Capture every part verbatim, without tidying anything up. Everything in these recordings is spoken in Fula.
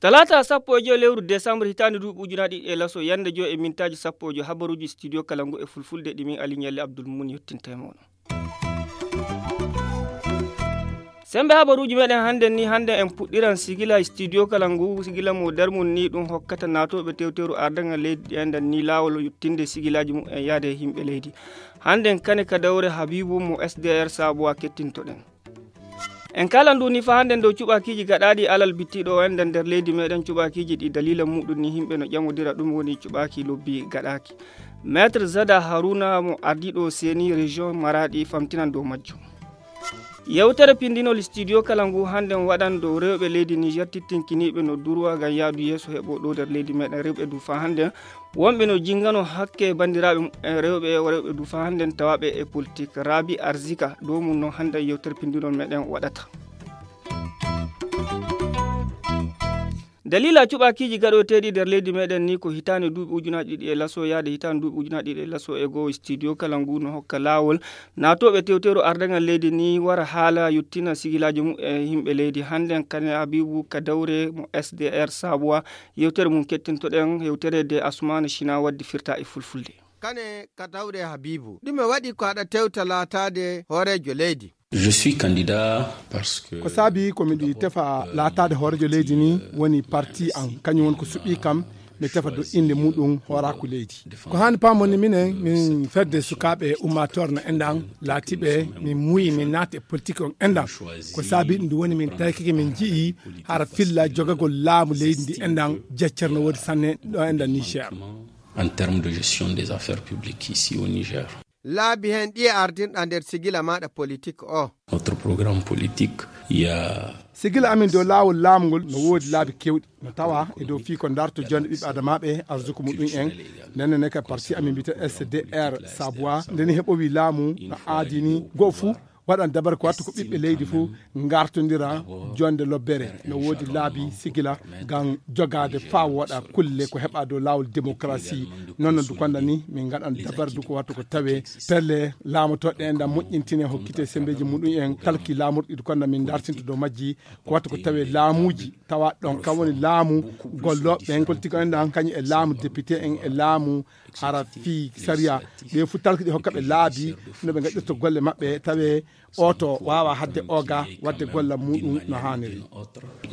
Talaata sappo e joy lewru desambur hitaande duuɓi ujunaaji ɗiɗi e laso yannde joy e mintaaji sappo e joy habaruuji studio kala ngu e fulfulde ɗi min ali ñalli abdul mun yettinta e mooɗon. Sembe habaruuji meɗen hannden ni hannden en puɗɗiran sigila studio kala ngu sigila mo darmun ni ɗum hokkata naatooɓe tewteru ardagal leydi ɗi enɗan ni laawol yottinde sigilaaji mum en yaade e yimɓe leydi. Hannden kane ka dawre habibu mo sdr sabuwa kettintoɗen. En kala ndu ni fa hannden dow cuɓakiiji gaɗaaɗi alal bittiɗo o enɗan nder leydi meɗen cuɓakiiji ɗi dalila muɗum ni yimɓe no ƴamodira ɗum woni cuɓaaki lobbi gaɗaaki. Maître zada haruna mo ardiɗo seni région maraɗi famtinan dow majjum. Yewtere pindinol studio kala ngu hannden waɗan dow rewɓe leydi niger tittinkiniɓe no durwa ngam yaadu yeeso heɓo ɗo nder leydi meɗen rewɓe du fa hannden wonɓe no jingano hakke banndiraaɓe mumen rewɓe o rewɓe du fa hannden tawaɓe e politik rabi arzika dow mum noon hannden yewtere pindinol meɗen waɗata. Dalila cuɓakiiji gaɗoteeɗi nder leydi meɗen ni ko hitaande duuɓi ujunaaji ɗiɗi e laso yaade hitaande duuɓi ujunaaji ɗiɗi e laso e goo studio kala ngu no hokka laawol naatooɓe tewteeru ardagal leydi ni wara haala yottina sigilaaji mum e yimɓe leydi hannden kane habibu ka dawre mo sdr sabuwa yewtere mum kettintoɗen yewtere de asumana china wadde firta e fulfulde. Kane ka dawre habibu ɗume waɗi ko aɗa tewta laataade hooreejo leydi? Je suis candidat parce que ko saabi ko miɗi tefa laataade hooreejo leydi ni woni parti an kañum woni ko suɓi kam mi tefa do innde muɗum hooraaku leydi. Ko haani paamon ni minen min fedde sukaaɓe ummaatoore no enɗan laatiiɓe min muuyi min naati e politique on enɗan. Ko saabi ɗum woni min taykike min nji'i hara filla jogagol laamu leydi ndi enɗan jeccere no woodi sanne ɗo enɗan niger. En terme de gestion des affaires publiques ici au niger. Laabi heen ɗiye ardinɗa nder sigila maɗa politik o? Notre programme politique ya. Sigila amin dow laawol laamu ngol no woodi laabi kewɗi no tawa e dow fii ko darto jonde ɓiɓɓe adamaaɓe arsuku muɗum en. Ndenne ne ka parti amin mbiyete sdr sabois ndeni heɓowi laamu no aadini goo fuu waɗan dabar ko wattu ko ɓiɓɓe leydi fuu ngartondira jonde lobbere no woodi laabi sigila ngam jogaade faa woɗa kulle ko heɓa dow laawol démocratie. Noon no dukonda ni min ngaɗan dabar du ko wattu ko tawe pelle laamotoɗe enɗan moƴƴintine hokkite sembeeji muɗum en talki laamorɗi dukonda min dartinto dow majji ko wattu ko tawe laamuuji tawa ɗon kam woni laamu gollooɓe ɓen politique enɗan kañum e laamu député en e laamu hara fii sariya ɓe fof talki ɗi hokka ɓe laabi no ɓe gaɗirta golle maɓɓe tawe oto waawa hadde oga wadde gollal muɗum no haaniri.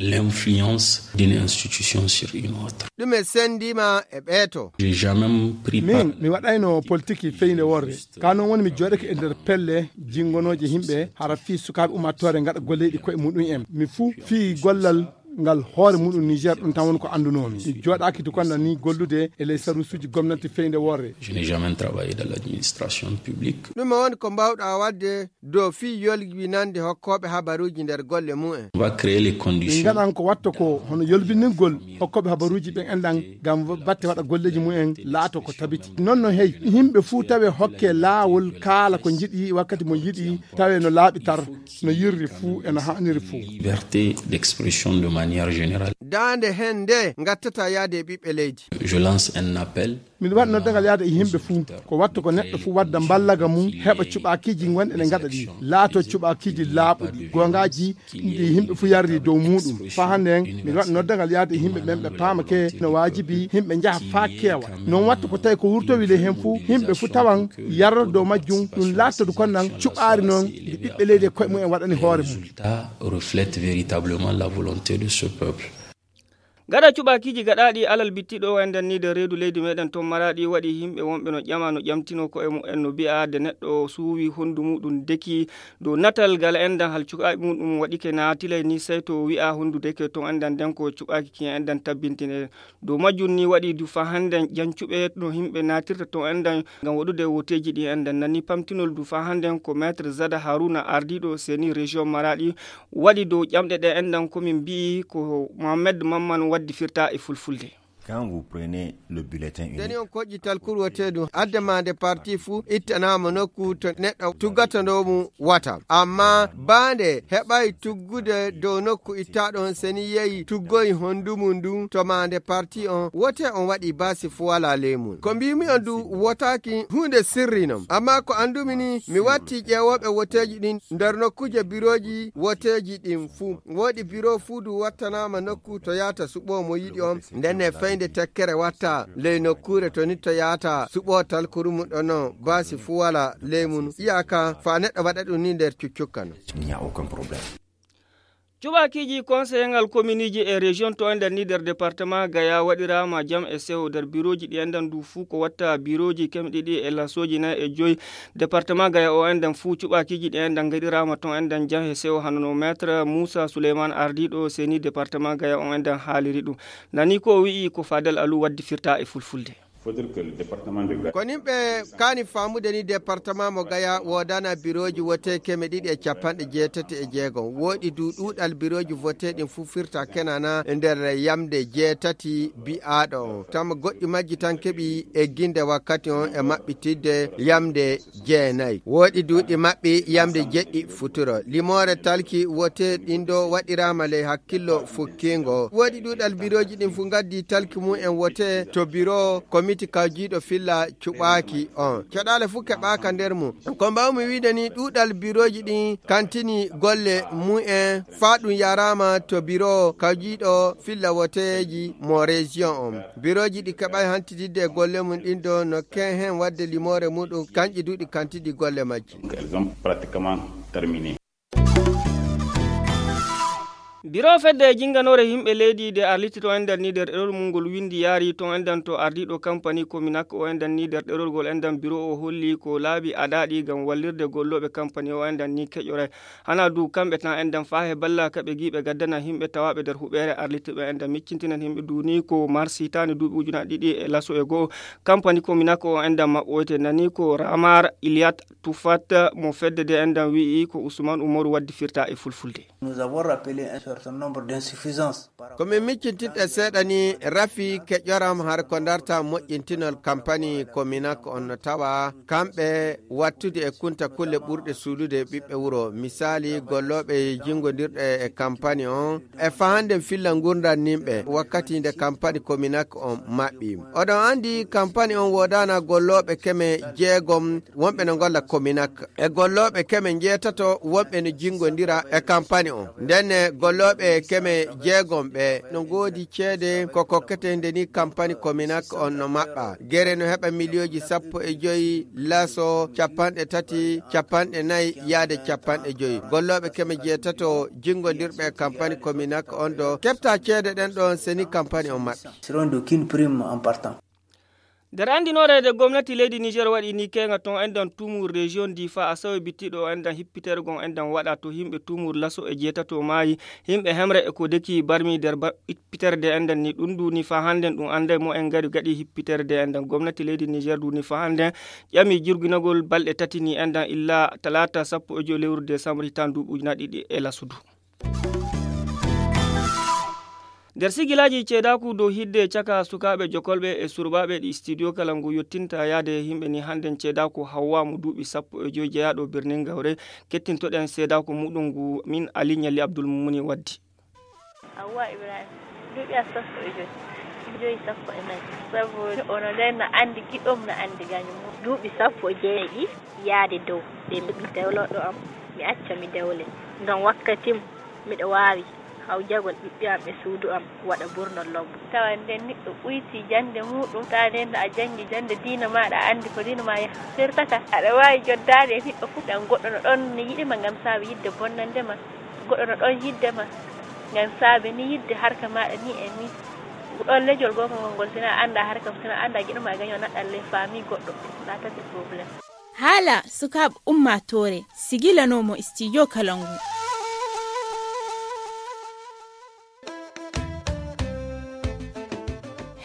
L'influence d'une institution sur une autre. Ɗum e sendiima e ɓeeto. J'ai jamais pris part. Min mi waɗayno politiki feyde worre ka noon woni mi jooɗake e nder pelle jingonooje yimɓe hara fii sukaaɓe ummaatoore ngaɗa golleeji koye muɗum en mi fuu fii gollal ngal hoore muɗum niger ɗum tan woni ko anndunoomi mi jooɗaaki dukonda ni gollude e ley sarusuuji gomnati feyde worre. Je n'ai jamais travaillé dans l'administration publique. Ɗum woni ko mbaawɗa waɗde dow fii yolbinande hokkooɓe habaruuji nder golle mumen. On va créer les conditions. Min ngaɗan ko watta ko hono yolbiningol hokkooɓe habaruuji ɓen enɗan ngam batte waɗa golleeji mumen laato ko tabiti noon no hey yimɓe fuu tawe hokke laawol kaala ko njiɗi wakkati mo yiɗi tawe no laaɓi tar no yirri fuu e no haaniri fuu. Liberté d'expression de manière générale. Daande heen nde ngattata yaade e ɓiɓɓe leydi. Je lance un appel. Miɗo waɗi noddagal yaade e yimɓe fuu ko watta ko neɗɗo fuu wadda mballaga mum heɓa cuɓaakiiji wonɗe ɗe ngaɗa ɗi laato cuɓaakiiji laaɓuɗi goongaaji ɗi yimɓe fuu yarri dow muɗum faa hannde en miɗo waɗi noddagal yaade e yimɓe ɓen ɓe paamake no waajibi yimɓe njaha faa keewa noon watta ko tawi ko wurtowi ley heen fuu yimɓe fuu tawan yarrata dow majjum ɗum laattadu kon nan cuɓaari noon ndi ɓiɓɓe leydi e koye mumen waɗani hoore mum. Reflète véritablement la volonté de ce peuple. Gaɗa cuɓaakiiji gaɗaaɗi alal bittiɗo o enɗan ni nder reedu leydi meɗen toon maraɗi waɗi yimɓe wonɓe no ƴama no ƴamtino koye mumen no mbi'a de neɗɗo o suuwi honndu muɗum deki dow natal ngal enɗan hal cuɓaaɓe muɗum waɗike naatilay ni sey to wi'a honndu deke toon enɗan nden ko cuɓaaki kiyen enɗan tabbintine dow majjum ni waɗi du fa hannde jancuɓe no yimɓe naatirta toon enɗan ngam waɗude wooteeji ɗi enɗan nani pamtinol du fa hannde ko maître zada haruna ardiiɗo seni région maraɗi waɗi dow ƴamɗe ɗe enɗan komin mbi'i ko mohammed mamman waddi firta e fulfulde. Quand vous prenez le bulletin unique, deni on koƴƴi talkuru woteedu, adde maande parti fuu ittanaama nokku to neɗɗo tuggata ndo mum wata. Amma baande heɓay tuggude dow nokku ittaaɗo on, seni yehi tuggoyi hondu mum ndun to maande parti on, wote on waɗi baasi fuu walaa ley mum. Ko mbiimi on du, wotaaki huunde sirri non. Amma ko anndumi ni, mi watti ƴeewooɓe woteeji ɗin nder nokkuuje birooji woteeji ɗin fuu. Woodi biro fuu du wattanaama nokku to yaata suɓoo mo yiɗi on. Ndenne fayde tekkere watta ley nokkuure to nitto yaata suɓoo talkuru mum ɗon non, baasi fuu walaa ley mum. Iyaaka faa neɗɗo waɗa ɗum ni nder cuccukka non. Il n'y a aucun problème. Cuɓaakiiji konseyengal kominiiji e région to enɗan ni nder département Gaya waɗiraama jam e sewo nder birooji ɗi enɗan du fuu ko watta birooji keme ɗiɗi e lasooji nayi e joyi. Département Gaya o enɗan fuu cuɓaakiiji ɗi enɗan ngaɗiraama ton enɗan jam e sewo hano no maître Moussa Souleymane ardiiɗo seni département Gaya o enɗan haaliri ɗum. Nani ko o wi'i ko Fadel Alou waddi firta e fulfulde. Faudrait que le département de Gaya. Ko nimɓe kaani faamude ni département mo Gaya woodana birooji wote keme ɗiɗi e capanɗe jeetati e jeegom. Woɗi du ɗuuɗal birooji vote ɗin fuu firta kenana nder yamde jeetati bi'aaɗo on. Tama goɗɗi majji tan keɓi egginde wakkati on e maɓɓitidde yamde jeenayi. Woɗi du ɗi maɓɓi yamde jeɗɗi futuro. Limoore talki wote ɗin ɗo waɗiraama ley hakkillo fukkingo. Woɗi ɗuuɗal birooji ɗin fuu ngaddi talki mum en wote to biro komiti kawjiiɗo filla cuɓaaki on. Caɗaale fuu keɓaaka nder mum. Ko mbaawmi wiide ni, ɗuuɗal birooji ɗin kantini golle mum en faa ɗum yaraama to biro kawjiiɗo filla woteeji mo région on. Birooji ɗi keɓay hantididde e golle mum ɗin ɗo no ken hen wadde limoore muɗum, kanƴi du ɗi kantidi golle majji. Donc, elles ont pratiquement terminé. Biro fedde e jinnganoore yimɓe leydi de arliti to enɗan ni nder ɗerol mum ngol windi yaari to enɗan to ardiiɗo kampani Kominak o enɗan ni nder ɗerol ngol enɗan biro o holli ko laabi aɗaaɗi ngam wallirde gollooɓe kampani o enɗan ni keƴore. Hana du kamɓe tan enɗan faa he balla kaɓe giiɓe gaddana yimɓe tawaaɓe nder huɓeere arliti ɓe enɗan miccintinan yimɓe du ni ko mars hitaande duuɓi ujunaaji ɗiɗi e laso e go'o. Kampani Kominak o enɗan maɓɓoyte nani ko Ramar Iliat Tufat mo fedde de enɗan wi'i ko Ousmane Umaru waddi firta e fulfulde. Nous avons rappelé un certain nombre d'insuffisances. Ko min miccintinta seeɗa ni rafi keƴoram har ko darta moƴƴintinol kampani Kominak on no tawa kamɓe wattude e kunta kulle ɓurɗe suuɗude ɓiɓɓe wuro. Misaali, gollooɓe jingondirɗe e kampani on e fahande filla ngurndan nimɓe wakkati nde kampani Kominak on maɓɓi. Oɗon andi kampani on woodana gollooɓe keme jeegom wonɓe no ngolla Kominak. E gollooɓe keme njeetato wonɓe no jingodira e kampani on. Ndenne gollooɓe keme jeegom ɓe no ngoodi ceede ko kokkete nde ni kampani Kominak on no maɓɓa. Gere no heɓa miliyooji sappo e joyi laso capanɗe tati, capanɗe nayi yaade capanɗe joyi. Gollooɓe keme jeetato jingodirɓe e kampani Kominak on ɗo keɓta ceede ɗen ɗon seni kampani on maɓɓi. Seront d'aucune prime en partant. Nder anndinoore nde gomnati leydi Niger waɗi ni keenga ton enɗan Tumu région Difa a sawi bittiɗo enɗan hippitergo enɗan waɗa to yimɓe Tumu laso e jeetato maayi, yimɓe hemre e ko deki barmi nder ba-, hippiterde enɗan ni ɗum du ni fa hannden ɗum annday mo en ngari gaɗi hippiterde enɗan gomnati leydi Niger du ni fa hannden ƴami jirginagol balɗe tati ni enɗan illa talaata sappo e joy lewru décembre hitaan duuɓi ujunaaji ɗiɗi e laso du. Nder sigilaaji ceedaaku dow hidde caka sukaaɓe jokolɓe e surbaaɓe ɗi studio kala ngu yottinta yaade e yimɓe ni hannden ceedaaku hawwa mo duuɓi sappo e joy jeyaaɗo birnin gawre. Kettintoɗen seedaaku muɗum ngu min Ali Ɲalli Abdul Mumuni waddi. Hawwa Ibrahim, duuɓi am sappo e joy. Joy sappo e nayi. Sabu ono nden no anndi giɗom, no anndi gañum. Duuɓi sappo e jeeɗiɗi yaade dow. Ɓe mbiɗi dewloɗo am, mi acca mi dewle. Ngam wakkati mum, miɗo waawi hawjagol ɓiɓɓe am e suudu am, waɗa burnol lobbo. Tawa nden niɗɗo ɓuyti jannde muuɗum, tawa nden no a janngi jannde diina maaɗa, a anndi ko diina ma yaha. Firtata, aɗa waawi joddaade e niɗɗo fof, ngam goɗɗo no ɗon ne yiɗi ma ngam saabe yiɗde bonnande ma. Goɗɗo no ɗon yiɗde ma, ngam saabe ni yiɗde harka maaɗa ni e ni. Ɗon lejol goongol ngol, si na a annda harka, si na a annda giɗo ma gaño naɗɗal ley faami goɗɗo, ɗa tati problème. Haala sukaaɓe ummaatoore sigilanoomo studio Kalangu.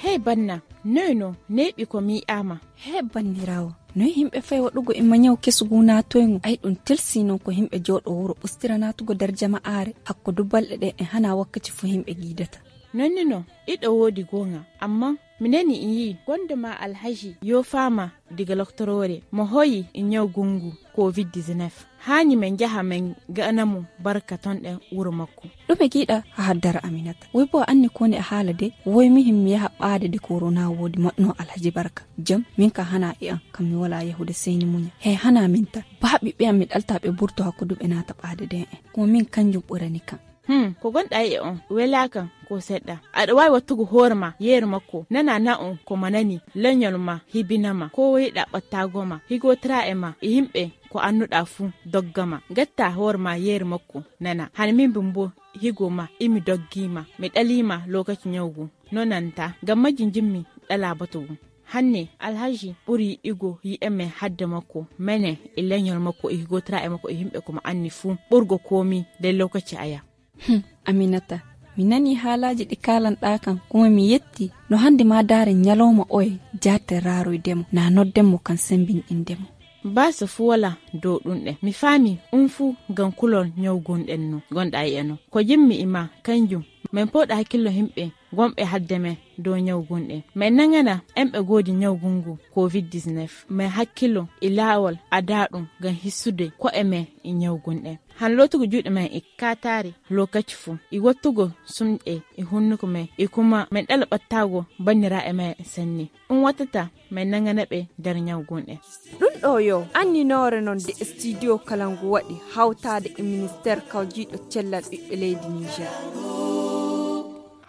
Hey banna, noy no neeɓi ko mi yi'aama? Hey banniraawo, noy yimɓe fay waɗugo e mañaw kesugu naatoygo? Ay ɗum telsi non ko yimɓe jooɗo wuro ɓustira naatugo nder jama'aare, hakko du balɗe ɗe e hana wakkati fo yimɓe giidata. Nonni no iɗo woodi goonga, amma mi nani in yi'i gonde ma alhaji yoofaama diga loktoroore mo hoyi e ñaw gungu covid dix-neuf. Haani men njaha men ga'ana mo barka ton ɗen wuro makko. Ɗume giɗa a haddara aminata? Woy bo a anni koni a haala de? Woy mihin mi yaha ɓaade de korona woodi moɗno alhaji barka. Jam min ka hana e an kam mi wala yahude seyni muña he hana min tan. Baaɓi ɓe an mi ɗalta ɓe burto hakkudu ɓe naata ɓaade de en. Ko min kanjum ɓurani kan. Hmm, ko gonɗa e on welaaka ko seɗɗa. Aɗa waawi wattugo hoore ma yeeru makko, nana na'on ko ma nani, leñol ma hibinama, ko woyiɗa ɓattaago ma, higotira e ma e yimɓe ko annuɗa fuu doggama. Gatta hoore ma yeeru makko nana. Hana min bimbo higo ma imi doggima, mi ɗalima lokaci ñawgu. No nanta, ngam majji jimmi ɗala batugu. Hanne alhaji ɓuri yiɗigo yi'eme hadde makko, mene e leñol makko e higotira e makko e yimɓe ko mo anni fuu ɓurgo komi nder lokaci aya. Hmm, aminata, mi nani haalaaji ɗi kaalanɗaa kan kuma mi yetti. No hannde ma daare ñalawma oye jaate raaroydemo na noddemo kan sembinɗindemo. Baasa fuu wala dow ɗum ɗe mi faami ɗum fuu ngam kulol ñawgunɗen no gonɗa e eno ko jimmi e ma kanjum. Min pooɗa hakkillo yimɓe gonɓe hadde men dow ñawgunɗe. Min nangana enɓe goodi ñawgungu covid dix-neuf. Min hakkilo e laawol adaaɗum ngam hissude ko'e men e ñawgunɗe. Han lootugo juuɗe men e kaataari lokaci fuu, e wottugo sumɗe e hunnuko men, e kuma men ɗala ɓattaago banniraaɓe men sanne. Ɗum wattata men nangana ɓe nder ñawgunɗe. Ɗum ɗo yo anninoore non de studio kala ngu waɗi hawtaade e ministeer kawjiiɗo cellal ɓiɓɓe leydi Niger.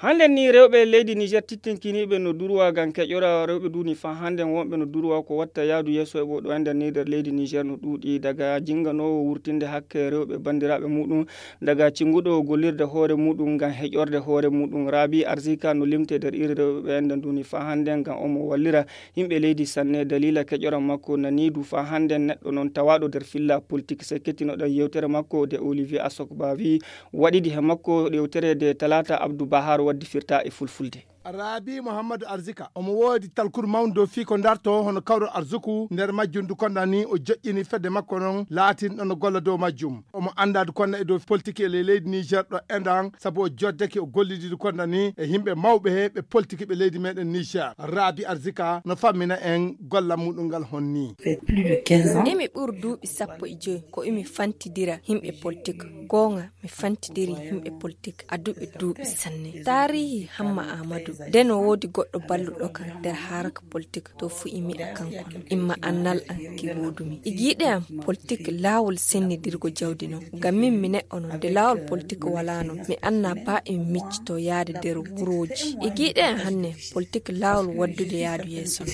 Hannden ni rewɓe leydi Niger tittinkiniiɓe no durwa ngam keƴora rewɓe duuni faa hannden wonɓe no durwa ko watta yaadu yeeso e ɓo ɗo ender ni nder leydi Niger no ɗuuɗi daga jinganoowo wurtinde hakke rewɓe banndiraaɓe muɗum daga cinguɗo gollirde hoore muɗum ngam heƴorde hoore muɗum. Rabi Arzika no limte nder iri rewɓe ɓe ender duuni faa hannden ngam omo wallira yimɓe leydi sanne. Daliila keƴora makko naniidu faa hannden neɗɗo non tawaaɗo nder filla politik. Se kettinoɗen yewtere makko de Olivier Asokba wi waɗidi he makko yewtere de Talata Abdou Bahar waddi firta e fulfulde. Raabi Muhammadu Arzika omo woodi talkuru mawndu dow fii ko darto hono kawral arzuku nder majjum du konda ni o joƴƴini fedde makko non laatinɗo no golla dow majjum. Omo anndaa du konda e dow politiki e ley leydi Niger ɗo endan sabu o joddake o gollidi du konda ni e yimɓe mawɓe he ɓe politiki ɓe leydi meɗen Niger. Raabi Arzika no fammina en golla muɗum ngal honni. Emi ɓur duuɓi sappo e joy ko emi fantidira yimɓe politik. Goonga mi fantidiri yimɓe politik a duɓe duuɓi sanne. Taarihi Hamma Aamadu de no woodi goɗɗo balluɗo kam nder haraka politik to fu imi a kanko non imma annal an ki woodumi igiiɗe am. Politik laawol sennidirgo jawdi non ngam min mi neɗɗo non nde laawol politik walaano mi anna ba emi miccito yaade nder wurooji igiiɗe am hanne politik laawol waddude yaadu yeeso.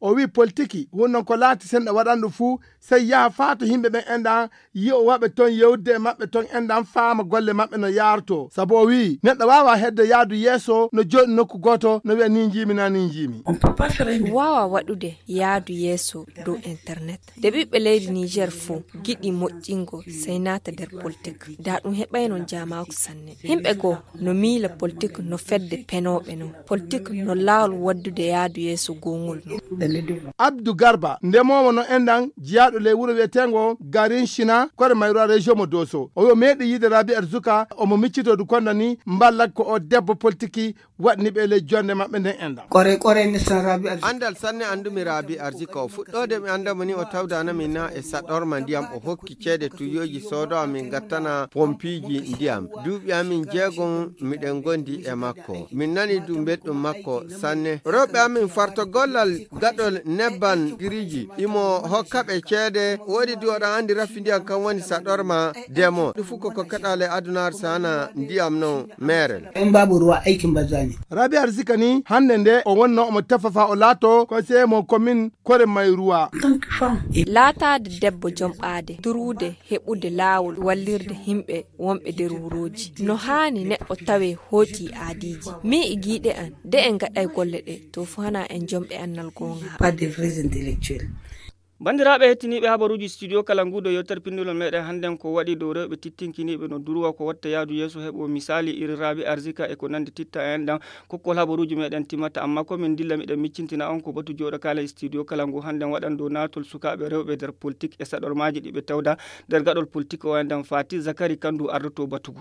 O wi politiki hunnon ko laati senɗa waɗanɗo fuu sey yaha faa to yimɓe ɓen enɗan yi'o waɓe ton yewde e maɓɓe ton enɗan faama golle maɓɓe no yaarto sabu o wi'i neɗɗo waawa hedde yaadu yeeso no jooɗi nokku gooto no wi'a ni njiimi na ni njiimi. Waawa waɗude yaadu yeeso dow internet de ɓiɓɓe leydi niger fof giɗi moƴƴingo sey naata nder politik da ɗum heɓayno jaamaaku sanne. Yimɓe goo no miila politik no fedde penooɓe non politik no laawol waddude yaadu yeeso goongol non. Abdu garba ndemoowo no enɗan jiyaaɗo ley wuro wiyeteengo garin china kore mayro a région mo doso o yo meeɗi yiide rabi arzuka omo miccitoo du konda ni mballak ko o debbo politiki waɗni ɓe ley jonde maɓɓe nden enɗan. Kore kore mi san rabi arzuka. Andal sanne andumi rabi arzuka o fuɗɗoode mi andamo ni o tawdana min na e saɗorma ndiyam o hokki ceede tuyooji soodo amin gattana pompiiji ndiyam duuɓi amin jeegom miɗen gondi e makko min nani du belɗum makko sanne rewɓe amin farto gollal gaɗol nebban giriji imo hokka ɓe ceede woodi du oɗon andi raffi ndiyam kam woni saɗorma demo ɗum fof ko kokkaɗa le adunaar sana ndiyam non meerel. En babu ruwa aikin banza ne. Rabi arzika ni hande nde o wonno omo tefa fa o laato conseiller mo commune kore mayruwa. Laataade debbo jom ɓaade durwude heɓude laawol wallirde yimɓe wonɓe nder wurooji no haani neɗɗo tawe hooti aadiiji. Min e giiɗe an nde en ngaɗay golle ɗe to fo hana en jomɓe annal goonga. Pas de vrais intellectuels. Banndiraaɓe hettiniiɓe habaruuji studio kala nguuɗo yewtere pinndulol meɗen hannden ko waɗi dow rewɓe tittinkiniiɓe no durwa ko watta yaadu yeeso heɓo misaali iri raabi arzika e ko nanndi titta en ɗan. Kokkol habaruuji meɗen timmata amma ko min ndilla miɗen miccintina on ko batu jooɗo kaala e studio kala ngu hannden waɗan dow naatol sukaaɓe rewɓe nder politik e saɗormaaji ɗi ɓe tawda nder gaɗol politik o en ɗan faati zakari kanndu ardoto batu ngu.